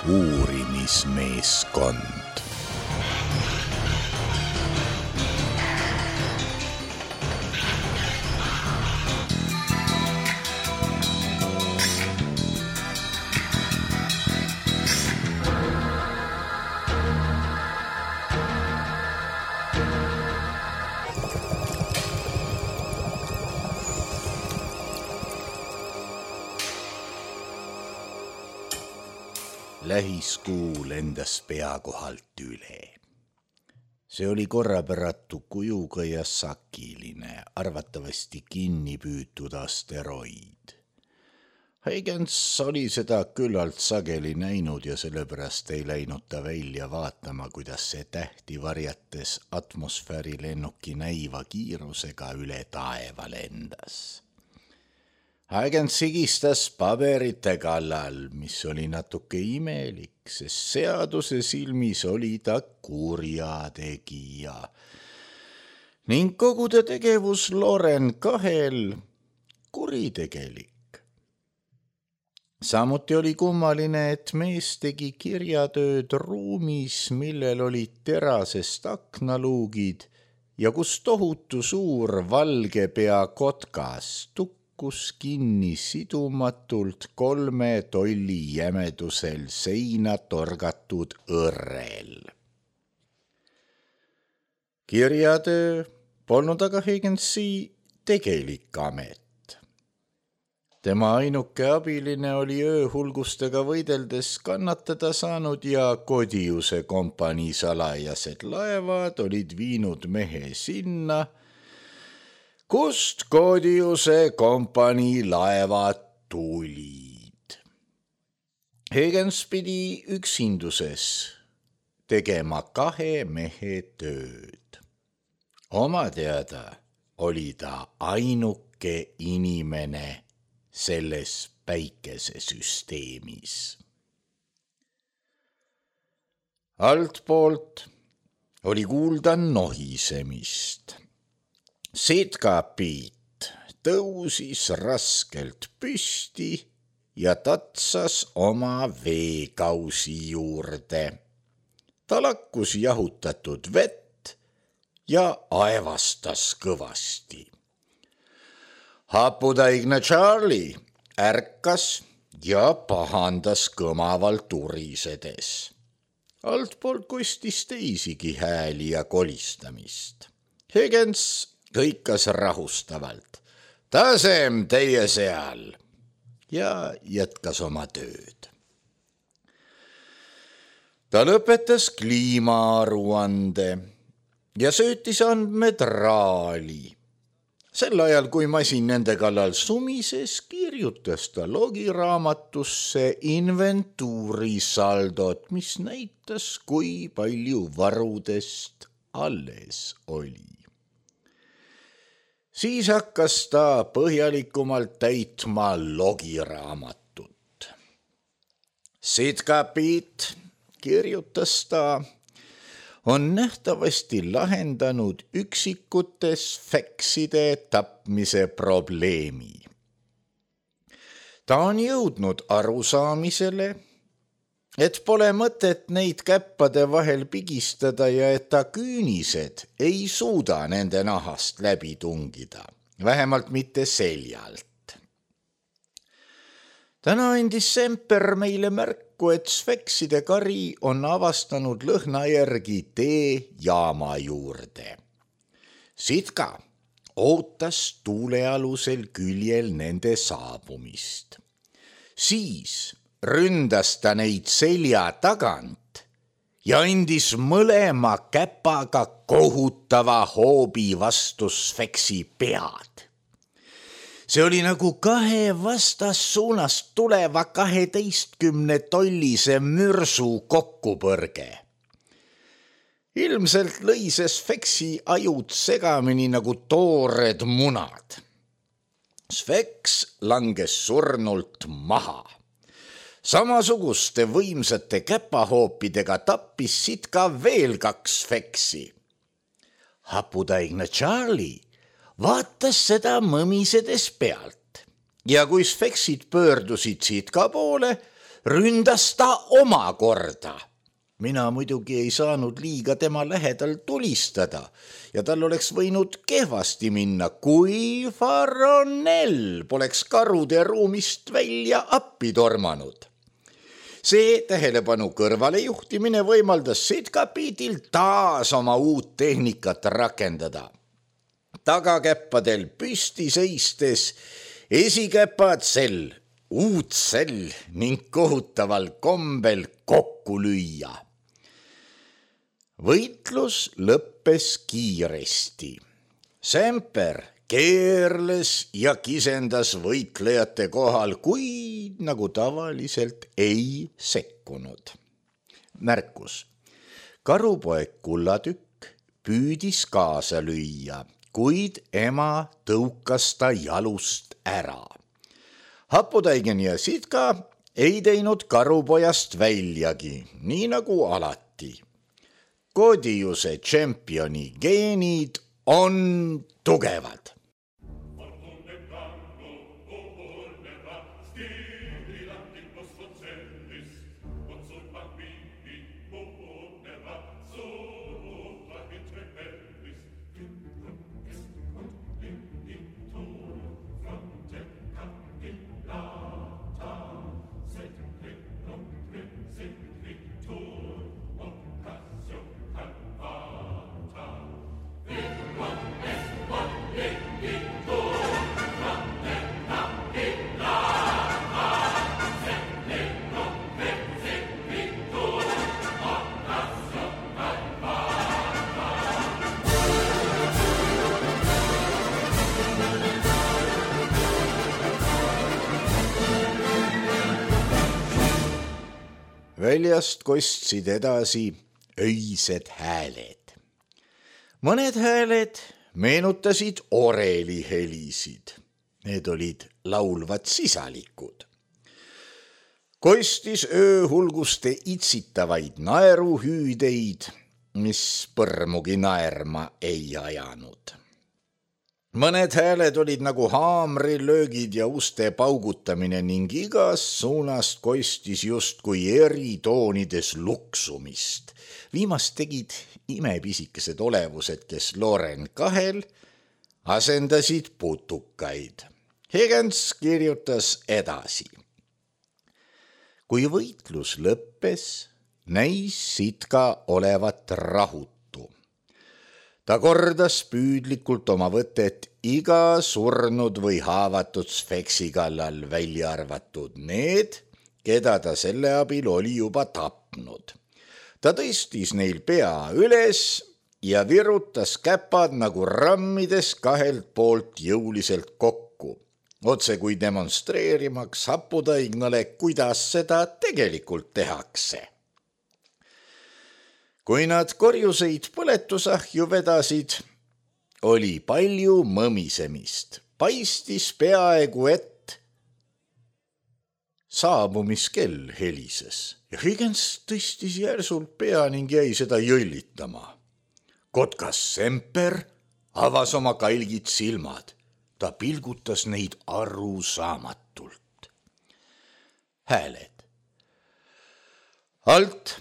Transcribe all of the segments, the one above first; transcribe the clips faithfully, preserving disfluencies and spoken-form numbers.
uurimismeeskond. Lähiskuu lendas pea kohalt üle. See oli korrapäratu kujuga ja sakiline, arvatavasti kinni püütud asteroid. Huygens oli seda küllalt sageli näinud ja sellepärast ei läinud ta välja vaatama, kuidas see tähti varjates atmosfääri lennuki näiva kiirusega üle taeva lendas. Huygens sigistas paberite kallal, mis oli natuke imelik, sest seaduse silmis oli ta kurjategija. Ning kogu ta tegevus Loren kahel kuritegelik. Samuti oli kummaline, et mees tegi kirjatööd ruumis, millel olid terasest aknaluugid ja kus tohutu suur valge pea kotkas tukkus kinni sidumatult kolme tolli jämedusel seina torgatud õrrel. Kirjatöö polnud aga Higginsi tegelik amet. Tema ainuke abiline oli ööhulgustega võideldes kannatada saanud ja Codiuse kompanii salajased laevad olid viinud mehe sinna, kust Codiuse kompanii laevad tulid. Huygens pidi üksinduses tegema kahe mehe tööd. Oma teada oli ta ainuke inimene selles päikesesüsteemis. Altpoolt oli kuulda nohisemist. Sitka Piit tõusis raskelt püsti ja tatsas oma veekausi juurde. Ta lakkus jahutatud vett ja aevastas kõvasti. Haputaigne Charlie ärkas ja pahandas kõmavalt urisedes. Altpoolt kostis teisigi hääli ja kolistamist. Huygens kõikas rahustavalt. Tasem teie seal! Ja jätkas oma tööd. Ta lõpetas kliimaaruande ja söötis andmed raali. Sel ajal, kui masin nende kallal sumises, kirjutas ta logiraamatusse inventuurisaldot, mis näitas, kui palju varudest alles oli. Siis hakkas ta põhjalikumalt täitma logiraamatut. Sitka Piit, kirjutas ta, on nähtavasti lahendanud üksikutes fekside tapmise probleemi. Ta on jõudnud arusaamisele, et pole mõtet neid käppade vahel pigistada ja et ta küünised ei suuda nende nahast läbi tungida, vähemalt mitte seljalt. Täna andis Semper meile märku, et sfekside kari on avastanud lõhna järgi tee jaama juurde. Sitka ootas tuulealusel küljel nende saabumist. Siis ründas ta neid selja tagant ja andis mõlema käpaga kohutava hoobi vastu sfeksi pead. See oli nagu kahe vastassuunast tuleva kaheteistkümne tollise mürsu kokkupõrge. Ilmselt lõi see sfeksi ajud segamini nagu toored munad. Sfeks langes surnult maha. Samasuguste võimsate käpahoopidega tappis Sitka veel kaks sfeksi. Haputaigne Charlie vaatas seda mõmisedes pealt ja kui sfeksid pöördusid Sitka poole, ründas ta omakorda. Mina muidugi ei saanud liiga tema lähedal tulistada ja tal oleks võinud kehvasti minna, kui Faronel poleks karude ruumist välja appi tormanud. See tähelepanu kõrvale juhtimine võimaldas Sitkapiidil taas oma uut tehnikat rakendada. Tagakäppadel püsti seistes esikäpad sel, uut sel ning kohutaval kombel kokku lüüa. Võitlus lõppes kiiresti. Semper keerles ja kisendas võitlejate kohal, kui nagu tavaliselt ei sekkunud. Märkus. Karupoeg Kullatükk püüdis kaasa lüüa, kuid ema tõukas ta jalust ära. Haputaigen ja Sitka ei teinud karupojast väljagi, nii nagu alati. Kodiuse tšempioni geenid on tugevad. Väljast kostsid edasi öised hääled. Mõned hääled meenutasid oreli helisid. Need olid laulvad sisalikud. Kostis ööhulguste itsitavaid naeruhüüdeid, mis põrmugi naerma ei ajanud. Mõned hääled olid nagu haamrilöögid ja uste paugutamine ning igas suunast kostis justkui eri toonides luksumist. Viimast tegid imepisikesed olevused, kes Loren kahel asendasid putukaid. Higgins kirjutas edasi. Kui võitlus lõppes, näis Sitka olevat rahutu. Ta kordas püüdlikult oma võtet iga surnud või haavatud sfeksi kallal, välja arvatud need, keda ta selle abil oli juba tapnud. Ta tõstis neil pea üles ja virutas käpad nagu rammides kahelt poolt jõuliselt kokku, otse kui demonstreerimaks Haputaignale, kuidas seda tegelikult tehakse. Kui nad korjuseid põletusahju vedasid, oli palju mõmisemist. Paistis peaaegu, et saabumiskell helises ja Higgins tõstis järsult pea ning jäi seda jõllitama. Kotkas Semper avas oma kailgid silmad. Ta pilgutas neid arusaamatult. Hääled. Alt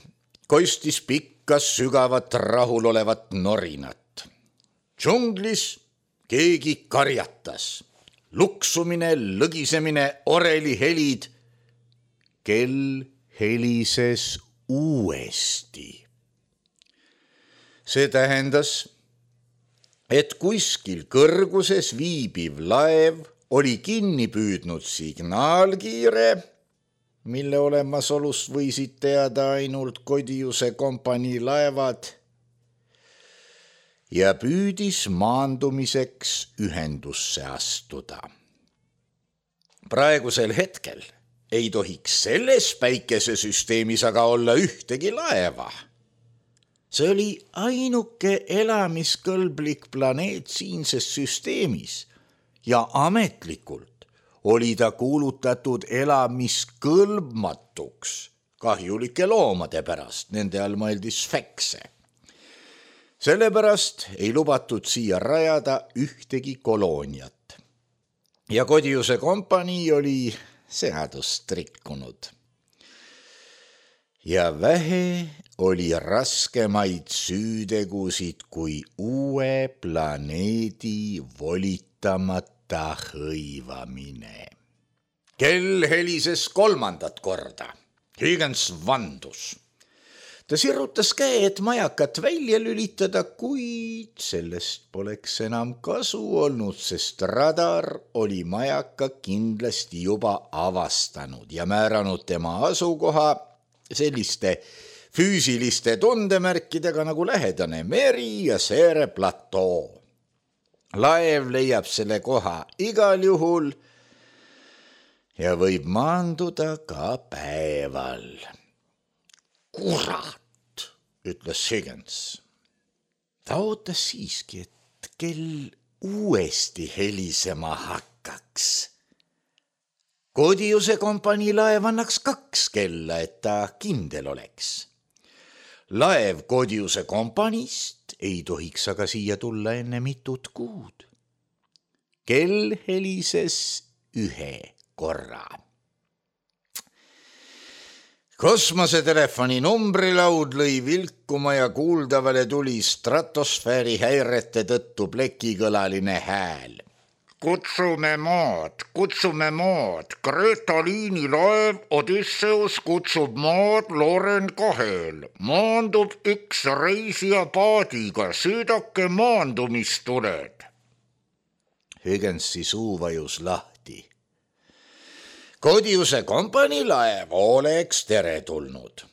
kostis pikk kas sügavat rahulolevat norinat. Džunglis keegi karjatas. Luksumine, lõgisemine, oreli helid. Kell helises uuesti. See tähendas, et kuskil kõrguses viibiv laev oli kinni püüdnud signaalkiire, mille olemasolust võisid teada ainult Kodiuse kompanii laevad, ja püüdis maandumiseks ühendusse astuda. Praegusel hetkel ei tohiks selles päikesesüsteemis aga olla ühtegi laeva. See oli ainuke elamiskõlblik planeet siinses süsteemis ja ametlikult oli ta kuulutatud elamiskõlbmatuks kahjulike loomade pärast, nende all mõeldi sfekse. Sellepärast ei lubatud siia rajada ühtegi kolooniat. Ja Kodiuse kompanii oli seadust rikkunud. ja vähe oli raskemaid süütegusid kui uue planeedi volitamata hõivamine. Kell helises kolmandat korda. Higgins vandus. Ta sirutas käe, et majakat välja lülitada, kuid sellest poleks enam kasu olnud, sest radar oli majaka kindlasti juba avastanud ja määranud tema asukoha selliste füüsiliste tundemärkidega nagu lähedane meri ja seere platoo. Laev leiab selle koha igal juhul ja võib maanduda ka päeval. Kurat, ütles Higgins. Ta ootas siiski, et kell uuesti helisema hakkaks. Codiuse kompanii laev annaks kaks kella, et ta kindel oleks. Laev Codiuse kompaniist ei tohiks aga siia tulla enne mitut kuud. Kell helises ühe korra. Kosmosetelefoni numbrilaud lõi vilkuma ja kuuldavale tuli stratosfääri häirete tõttu plekikõlaline hääl. Kutsume maad, kutsume maad, Greta Liini laev Odysseus kutsub maad Loren kahel. Maandub üks reisija paadiga, sõidake maandumistuled. Higginsi suu vajus lahti. Codiuse kompanii laev oleks teretulnud.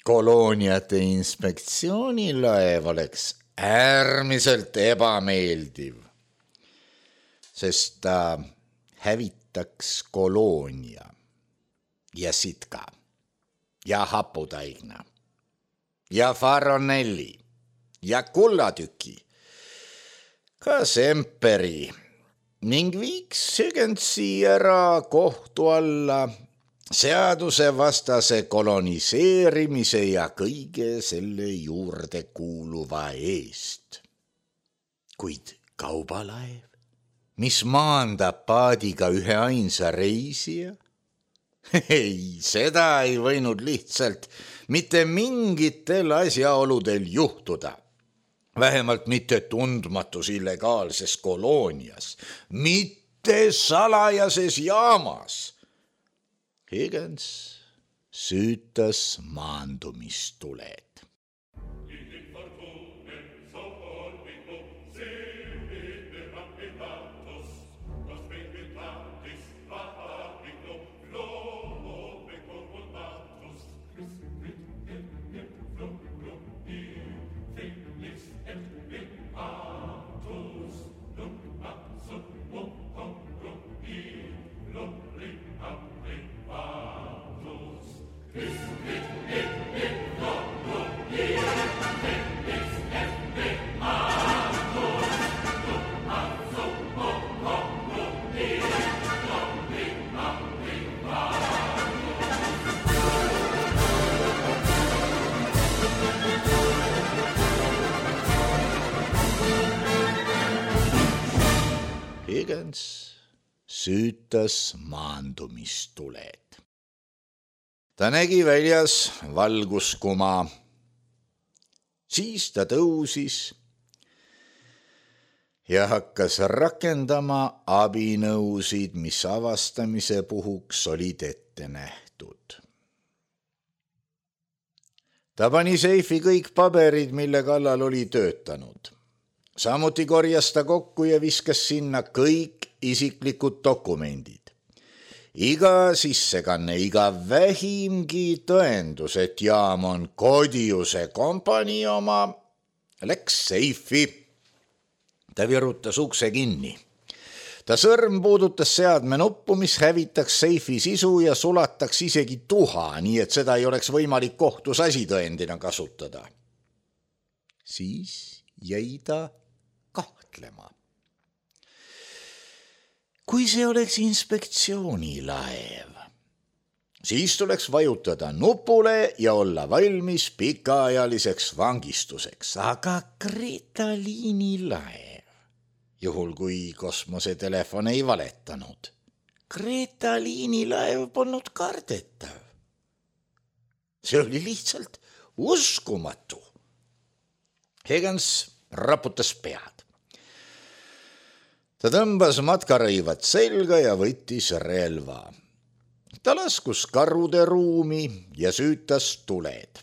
Kolooniate inspektsiooni laev oleks äärmiselt ebameeldiv, sest ta hävitaks koloonia ja sitka ja haputaigna ja faronelli ja kullatüki, ka semperi ning viiks Higginsi ära kohtu alla seadusevastase koloniseerimise ja kõige selle juurde kuuluva eest. Kuid kaubalaev, mis maandab paadiga ühe ainsa reisija? Ei, seda ei võinud lihtsalt mitte mingitel asjaoludel juhtuda. Vähemalt mitte tundmatus illegaalses koloonias, mitte salajases jaamas. Higgins süütas maandumistuled. Higgins süütas maandumistuled. Ta nägi väljas valguskuma. Siis ta tõusis ja hakkas rakendama abinõusid, mis avastamise puhuks olid ette nähtud. Ta pani seifi kõik paberid, mille kallal oli töötanud. Samuti korjas ta kokku ja viskas sinna kõik isiklikud dokumendid. Iga sissekanne, iga vähimgi tõendus, et jaam on Codiuse kompanii oma, läks seifi. Ta virutas ukse kinni. Ta sõrm puudutas seadme nuppu, mis hävitaks seifi sisu ja sulataks isegi tuha, nii et seda ei oleks võimalik kohtus asitõendina kasutada. Siis jäi ta kahtlema. Kui see oleks inspektsioonilaev, siis tuleks vajutada nupule ja olla valmis pikaajaliseks vangistuseks, aga Greta Liini laev, juhul kui kosmosetelefon ei valetanud, Greta Liini laev polnud kardetav. see oli lihtsalt uskumatu. Higgins raputas pead. Ta tõmbas matkarõivad selga ja võttis relva. Ta laskus karude ruumi ja süütas tuled.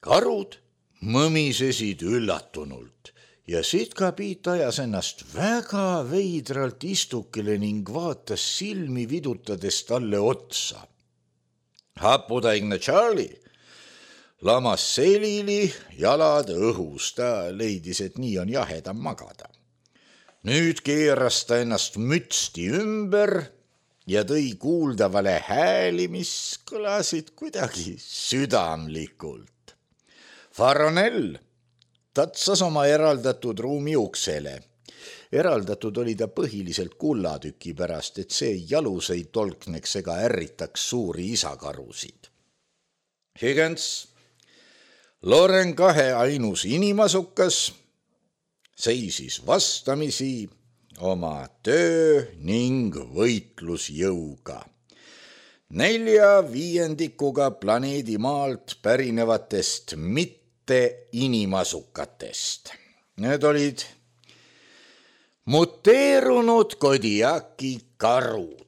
Karud mõmisesid üllatunult ja Sitka Piit ajas ennast väga veidralt istukile ning vaatas silmi vidutades talle otsa. Haputaigne Charlie lamas selili, jalad õhus, ta leidis, et nii on jahedam magada. Nüüd keeras ta ennast mütsti ümber ja tõi kuuldavale hääli, mis kõlasid kuidagi südamlikult. Faronell tatsas oma eraldatud ruumi uksele. Eraldatud oli ta põhiliselt kullatüki pärast, et see jalus ei tolkneks ega ärritaks suuri isakarusid. Higgins, Loren kahe ainus inimasukas, seisis vastamisi oma töö ning võitlusjõuga. Nelja viiendikuga planeedi maalt pärinevatest mitte inimasukatest. Need olid muteerunud Kodiaki karud,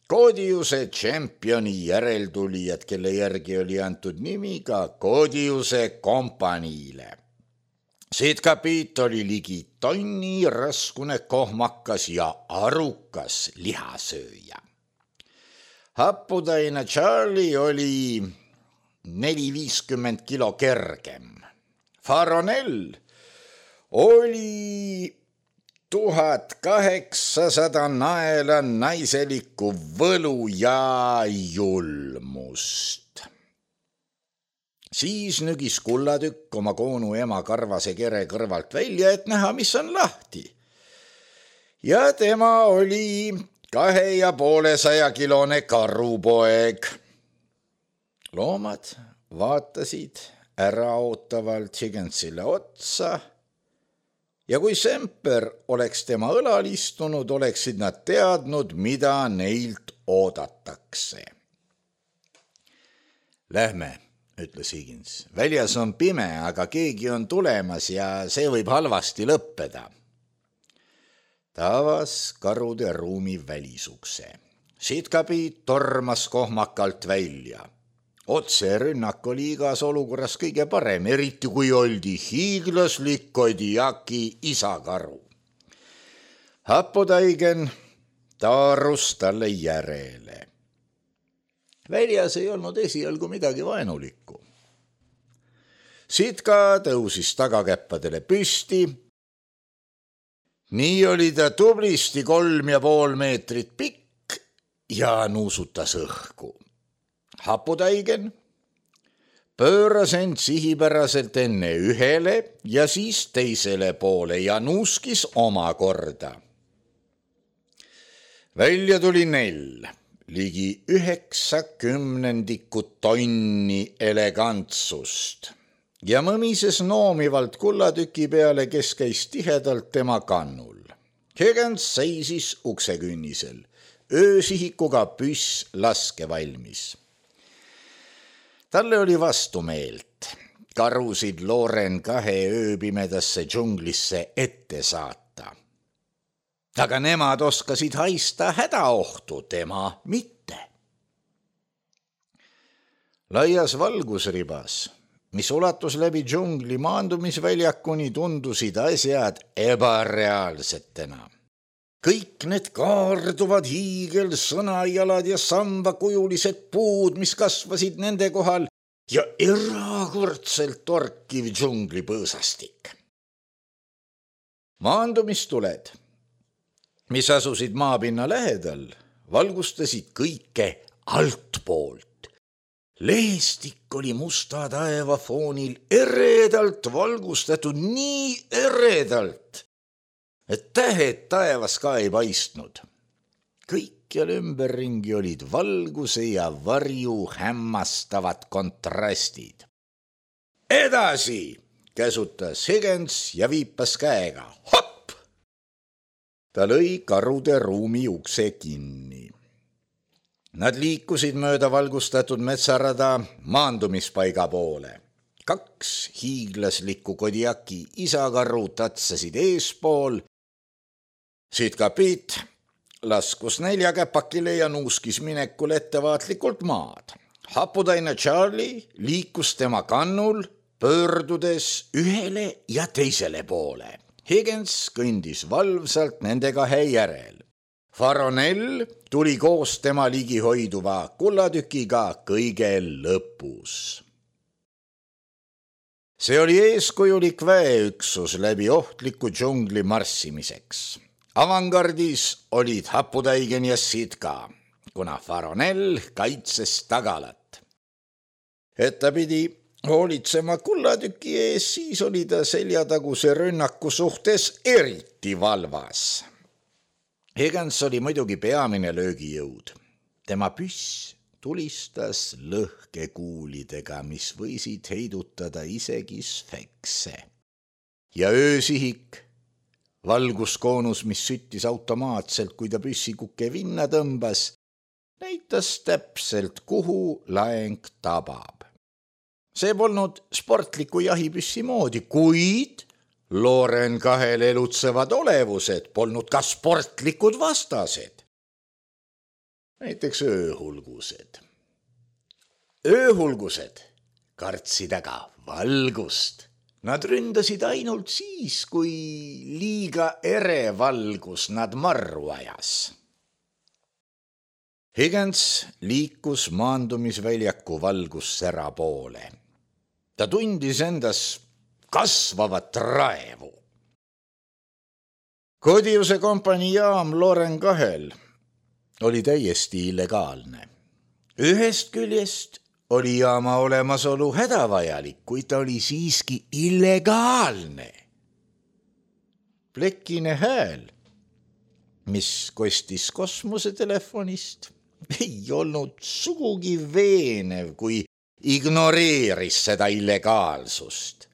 Kodiuse tšempioni järeltulijad, kelle järgi oli antud nimi ka Kodiuse kompaniile. Sitka Piit oli ligi tonni raskune kohmakas ja arukas lihasööja. Haputaine Charlie oli neli viiskümmend kilo kergem. Faronell oli tuhat kaheksasada naela naiselikku võlu ja julmust. Siis nügis kullatükk oma koonu ema karvase kere kõrvalt välja, et näha, mis on lahti. Ja tema oli kahe ja poole saja kilone karupoeg. Loomad vaatasid äraootavalt Higginsile otsa ja kui Semper oleks tema õlal istunud, oleksid nad teadnud, mida neilt oodatakse. Lähme, ütles Higgins. Väljas on pime, aga keegi on tulemas ja see võib halvasti lõppeda. Ta avas karude ruumi välisukse. Sitka Piit tormas kohmakalt välja. Otse rünnak oli igas olukorras kõige parem, eriti kui oldi hiiglaslik Kodiaki isakaru. Haputaigen taarus talle järele. Väljas ei olnud esialgu midagi vaenulikku. Sitka tõusis tagakäppadele püsti. Nii oli ta tublisti kolm ja pool meetrit pikk ja nuusutas õhku. Haputaigen pööras end sihipäraselt enne ühele ja siis teisele poole ja nuuskis omakorda. Välja tuli nell, ligi üheksakümnendikku tonni elegantsust ja mõmises noomivalt kullatüki peale, kes käis tihedalt tema kannul. Higgins seisis uksekünnisel, öösihikuga püss laske valmis. Talle oli vastumeelt karusid Loren kahe ööpimedasse džunglisse ette saata. Aga nemad oskasid haista hädaohtu, tema mitte. Laias valgusribas, mis ulatus läbi džungli maandumisväljakuni, tundusid asjad ebareaalsetena. Kõik need kaarduvad hiigelsõnajalad ja sambakujulised puud, mis kasvasid nende kohal ja erakordselt torkiv džunglipõõsastik. Maandumistuled, mis asusid maapinna lähedal, valgustasid kõike altpoolt. Leestik oli musta taeva foonil eredalt valgustatud, nii eredalt, et tähed taevas ka ei paistnud. Kõikjal ümberringi olid valguse ja varju hämmastavad kontrastid. Edasi, käsutas Higgins ja viipas käega. Hopp! Ta lõi karude ruumi ukse kinni. Nad liikusid mööda valgustatud metsarada maandumispaiga poole. Kaks hiiglaslikku Kodiaki isakarru tatsasid eespool. Siit kapiit laskus neljakäpakile ja nuuskis minekul ettevaatlikult maad. Haputaine Charlie liikus tema kannul, pöördudes ühele ja teisele poole. Higgins kõndis valvsalt nende kahe järel. Faronell tuli koos tema ligi hoiduva kullatükiga kõige lõpus. See oli eeskujulik väeüksus läbi ohtliku džungli marssimiseks. Avangardis olid Haputaigen ja Sitka, kuna Faronell kaitses tagalat. Et ta pidi hoolitsema kullatüki ees, siis oli ta seljataguse rünnaku suhtes eriti valvas. Higgins oli muidugi peamine löögijõud. Tema püss tulistas lõhkekuulidega, mis võisid heidutada isegi sfekse. Ja öösihik, valguskoonus, mis süttis automaatselt, kui ta püssikukke vinna tõmbas, näitas täpselt, kuhu laeng tabab. See polnud sportliku jahipüssi moodi, kuid Loren kahel elutsevad olevused polnud ka sportlikud vastased. Näiteks ööhulgused. Ööhulgused kartsid aga valgust. Nad ründasid ainult siis, kui liiga ere valgus nad marru ajas. Higgins liikus maandumisväljaku valgussära poole. Ta tundis endas kasvavat raevu. Kodiuse kompanii jaam Loren kahel oli täiesti illegaalne. Ühest küljest oli jaama olemasolu hädavajalik, kuid ta oli siiski illegaalne. Plekine hääl, mis kostis kosmosetelefonist, ei olnud sugugi veenev, kui ignoreeris seda illegaalsust.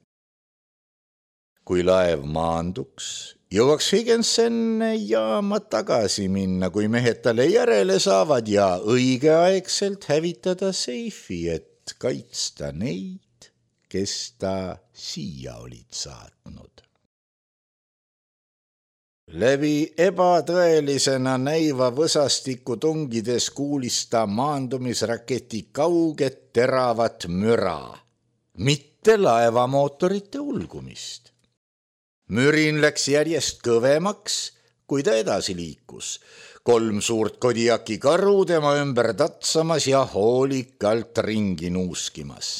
Kui laev maanduks, jõuaks Higgins enne jaama tagasi minna, kui mehed talle järele saavad ja õigeaegselt hävitada seifi, et kaitsta neid, kes ta siia olid saatnud. Läbi ebatõelisena näiva võsastiku tungides kuulis ta maandumisraketi kauget teravat müra, mitte laevamootorite ulgumist. Mürin läks järjest kõvemaks, kui ta edasi liikus. Kolm suurt Kodiaki karu tema ümber tatsamas ja hoolikalt ringi nuuskimas.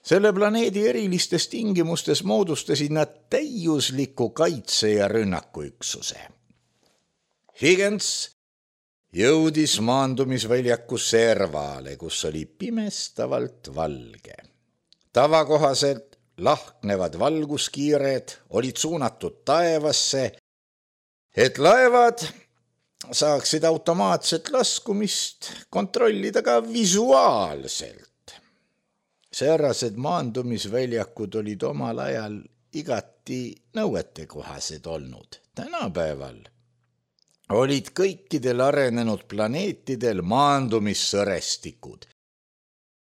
Selle planeedi erilistes tingimustes moodustasid nad täiusliku kaitse- ja rünnakuüksuse. Higgins jõudis maandumisväljaku servale, kus oli pimestavalt valge. Tavakohaselt lahknevad valguskiired olid suunatud taevasse, et laevad saaksid automaatset laskumist kontrollida ka visuaalselt. Säärased maandumisväljakud olid omal ajal igati nõuetekohased olnud. Tänapäeval olid kõikidel arenenud planeetidel maandumissõrestikud.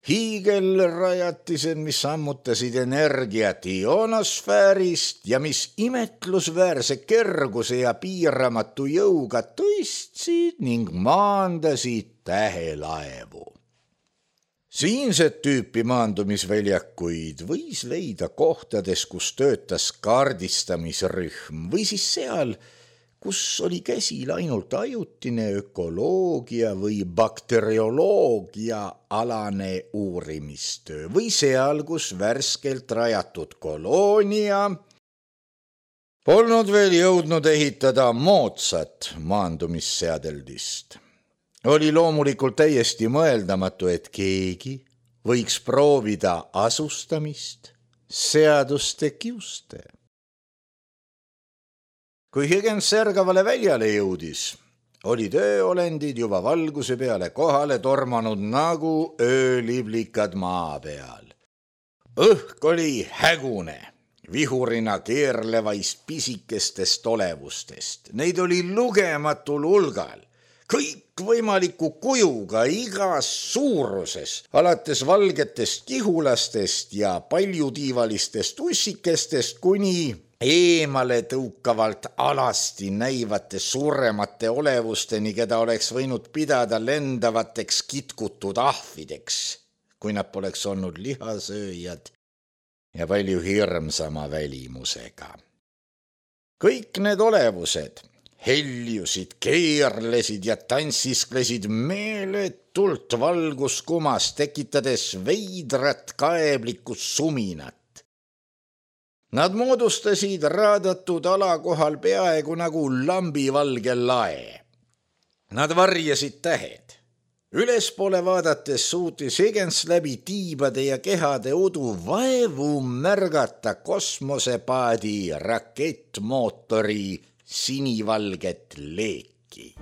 Hiigelrajatised, mis sammutasid energiat ionosfäärist ja mis imetlusväärse kerguse ja piiramatu jõuga tõstsid ning maandasid tähelaevu. Siinset tüüpi maandumisväljakuid võis leida kohtades, kus töötas kaardistamisrühm või siis seal, kus oli käsil ainult ajutine ökoloogia või bakterioloogia alane uurimistöö või seal, kus värskelt rajatud koloonia polnud veel jõudnud ehitada moodsat maandumisseadeldist. Oli loomulikult täiesti mõeldamatu, et keegi võiks proovida asustamist seaduste kiuste. Kui Higgins särgavale väljale jõudis, olid ööolendid juba valguse peale kohale tormanud nagu ööliblikad maa peal. Õhk oli hägune, vihurina keerlevaist pisikestest olevustest. Neid oli lugematul hulgal. kõikvõimaliku kujuga igas suuruses, alates valgetest kihulastest ja paljutiivalistest ussikestest kuni eemale tõukavalt alasti näivate suuremate olevusteni, keda oleks võinud pidada lendavateks kitkutud ahvideks, kui nad poleks olnud lihasööjad ja palju hirmsama välimusega. Kõik need olevused heljusid, keerlesid ja tantsisklesid meeletult valguskumas, tekitades veidrat kaeblikku suminat. Nad moodustasid raadatud ala kohal peaaegu nagu lambivalge lae. Nad varjasid tähed. Ülespoole vaadates suutis Higgins läbi tiibade ja kehade udu vaevu märgata kosmosepaadi rakettmootori sinivalget leeki.